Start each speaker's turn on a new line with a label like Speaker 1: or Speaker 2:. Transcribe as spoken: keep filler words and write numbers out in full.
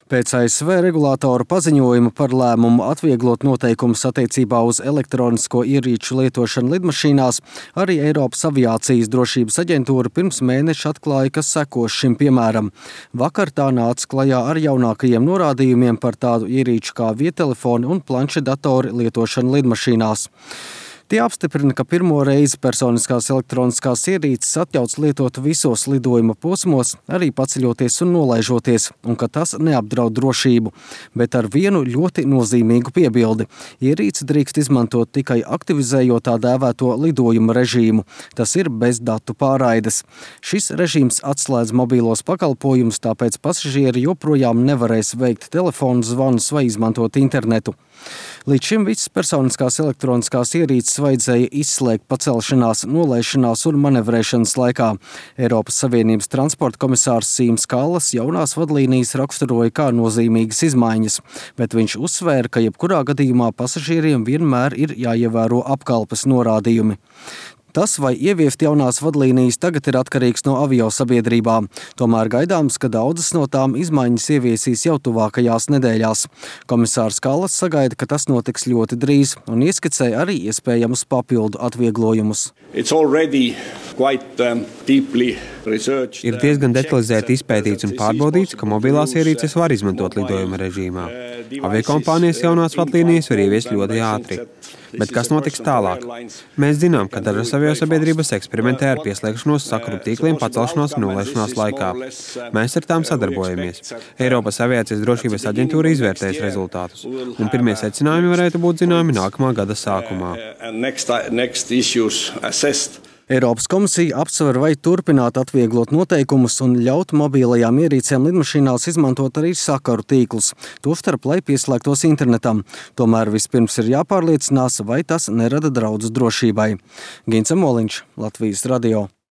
Speaker 1: Pēc A S V regulātora paziņojuma par lēmumu atvieglot noteikumus attiecībā uz elektronisko ierīču lietošanu lidmašīnās, arī Eiropas aviācijas drošības aģentūra pirms mēneša atklāja, kas sekos šim piemēram. Vakar tā nāca klajā ar jaunākajiem norādījumiem par tādu ierīču kā viedtelefoni un planšetdatori lietošanu lidmašīnās. Tie apstiprina, ka pirmo reizi personiskās elektroniskās ierīces atļauts lietot visos lidojuma posmos, arī paceļoties un nolaižoties, un ka tas neapdraud drošību, bet ar vienu ļoti nozīmīgu piebildi. Ierīci drīkst izmantot tikai aktivizējot tā dēvēto lidojuma režīmu. Tas ir bez datu pārraides. Šis režīms atslēdz mobīlos pakalpojumus, tāpēc pasažieri joprojām nevarēs veikt telefonu zvanus vai izmantot internetu. Līdz šim visas personiskās elektroniskās ierīces vajadzēja izslēgt pacelšanās, nolaišanās un manevrēšanas laikā. Eiropas Savienības transporta komisārs Sims Kallas jaunās vadlīnijas raksturoja kā nozīmīgas izmaiņas, bet viņš uzsvēra, ka jebkurā gadījumā pasažieriem vienmēr ir jāievēro apkalpes norādījumi. Tas, vai ieviest jaunās vadlīnijas, tagad ir atkarīgs no aviosabiedrībām. Tomēr gaidāms, ka daudzas no tām izmaiņas ieviesīs jau tuvākajās nedēļās. Komisārs Kallas sagaida, ka tas notiks ļoti drīz un ieskicē arī iespējamus papildu atvieglojumus.
Speaker 2: Quite, um,
Speaker 3: ir diezgan detalizēti izpētīts un pārbaudīts, ka mobilās ierīces var izmantot lidojuma režīmā. Aviokompānijas jaunās vadlīnijas var ieviest ļoti ātri. Bet kas notiks tālāk? Mēs zinām, ka dažas aviosabiedrības eksperimentē ar pieslēgšanos sakaru tīkliem pacelšanās un nolaišanās laikā. Mēs ar tām sadarbojamies. Eiropas aviācijas drošības aģentūra izvērtēs rezultātus, un pirmie secinājumi varētu būt zināmi nākamā gada sākumā.
Speaker 1: Eiropas komisija apsver, vai turpināt atvieglot noteikumus un ļaut mobilajām ierīcēm lidmašīnās izmantot arī sakaru tīklus, tostarp, lai pieslēgtos internetam. Tomēr vispirms ir jāpārliecinās, vai tas nerada draudus drošībai. Gins Amoliņš, Latvijas radio.